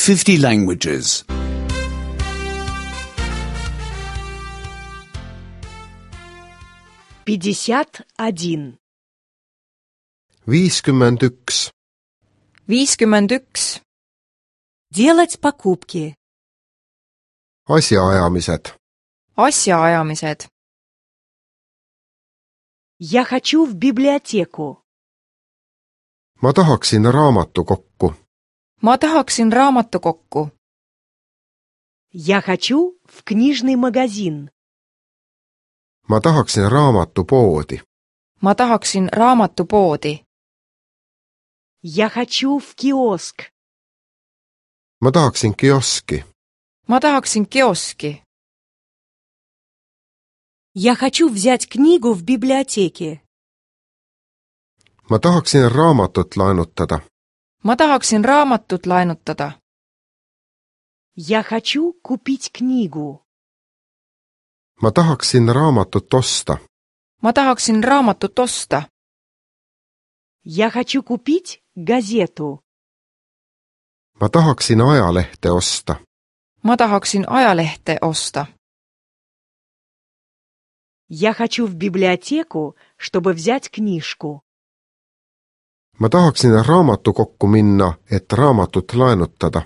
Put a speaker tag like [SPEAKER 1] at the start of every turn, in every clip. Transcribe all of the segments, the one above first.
[SPEAKER 1] 50 languages.
[SPEAKER 2] 51.
[SPEAKER 3] 51.
[SPEAKER 4] 51.
[SPEAKER 2] Делать покупки.
[SPEAKER 3] Asjaajamised.
[SPEAKER 4] Asjaajamised.
[SPEAKER 2] Я хочу в библиотеку.
[SPEAKER 3] Ma tahaksin raamatukokku.
[SPEAKER 4] Ma tahaksin raamatukokku.
[SPEAKER 2] Я хочу в книжный магазин.
[SPEAKER 3] Ma tahaksin raamatupoodi.
[SPEAKER 4] Ma tahaksin raamatupoodi.
[SPEAKER 2] Я хочу в киоск.
[SPEAKER 3] Ma tahaksin kioski.
[SPEAKER 4] Ma tahaksin kioski.
[SPEAKER 2] Я хочу взять книгу в библиотеке.
[SPEAKER 3] Ma tahaksin raamatut laenutada.
[SPEAKER 4] Ma tahaksin raamatut laenutada.
[SPEAKER 2] Я хочу купить книгу.
[SPEAKER 3] Ma tahaksin raamatut osta.
[SPEAKER 4] Ma tahaksin raamatut osta.
[SPEAKER 2] Я хочу купить газету.
[SPEAKER 3] Ma tahaksin ajalehte osta.
[SPEAKER 4] Ma tahaksin ajalehte osta.
[SPEAKER 2] Я хочу в библиотеку, чтобы взять книжку.
[SPEAKER 3] Ma tahaksin raamatukokku minna, et raamatut laenutada.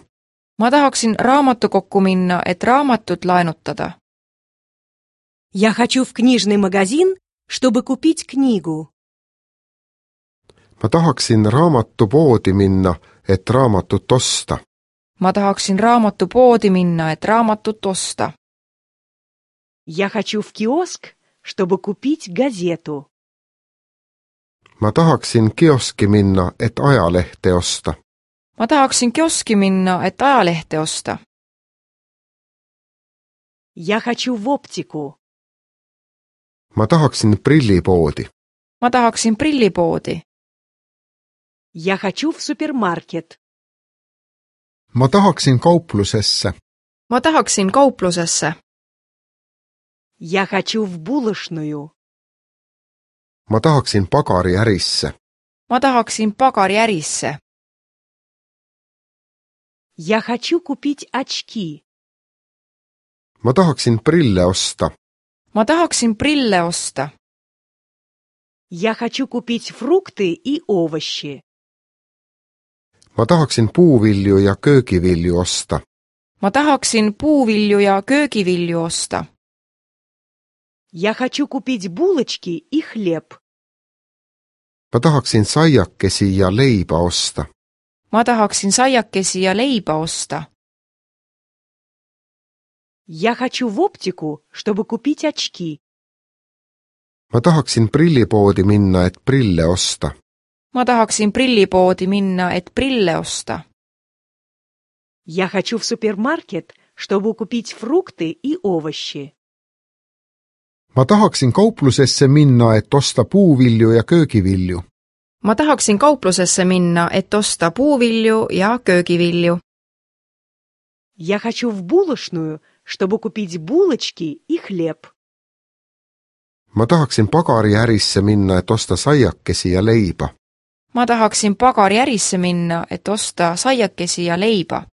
[SPEAKER 4] Ma tahaksin raamatukokku minna, et raamatut laenutada.
[SPEAKER 2] Я хочу в книжный магазин, чтобы купить книгу.
[SPEAKER 3] Ma tahaksin raamatupoodi minna, et raamatut osta.
[SPEAKER 4] Ma tahaksin raamatupoodi minna, et raamatut osta.
[SPEAKER 2] Я хочу в киоск, чтобы купить газету.
[SPEAKER 3] Ma tahaksin kioski minna, et ajalehte osta.
[SPEAKER 4] Ma tahaksin kioski minna, et ajalehte osta.
[SPEAKER 2] Я хочу в оптику.
[SPEAKER 3] Ma tahaksin prillipoodi.
[SPEAKER 4] Ma tahaksin prillipoodi.
[SPEAKER 2] Я хочу в супермаркет.
[SPEAKER 3] Ma tahaksin kauplusesse.
[SPEAKER 4] Ma tahaksin kauplusesse.
[SPEAKER 2] Я хочу в булочную.
[SPEAKER 3] Ma tahaksin pagariärisse.
[SPEAKER 4] Ma tahaksin pagariärisse.
[SPEAKER 2] Я хочу купить очки.
[SPEAKER 3] Ma tahaksin prille osta.
[SPEAKER 4] Ma tahaksin prille osta.
[SPEAKER 2] Я хочу купить фрукты и овощи.
[SPEAKER 3] Ma tahaksin puuvilju ja köögivilju osta.
[SPEAKER 4] Ma tahaksin puuvilju ja köögivilju osta.
[SPEAKER 2] Я хочу купить булочки и хлеб.
[SPEAKER 3] Ma tahaksin saiakesi ja leiba osta.
[SPEAKER 4] Ma tahaksin saiakesi ja leiba osta.
[SPEAKER 2] Я хочу в оптику, чтобы купить очки.
[SPEAKER 3] Ma tahaksin prillipoodi minna, et prille osta.
[SPEAKER 4] Ma tahaksin prillipoodi minna, et prille osta.
[SPEAKER 2] Я хочу в супермаркет, чтобы купить фрукты и овощи.
[SPEAKER 3] Ma tahaksin kauplusesse minna, et osta puuvilju ja köögivilju.
[SPEAKER 4] Ma tahaksin kauplusesse minna, et osta puuvilju ja köögivilju.
[SPEAKER 2] Я хочу в булочную, чтобы купить булочки и хлеб.
[SPEAKER 3] Ma tahaksin pagariärisse minna, et osta saiakesi ja leiba.
[SPEAKER 4] Ma tahaksin pagariärisse minna, et osta saiakesi ja leiba.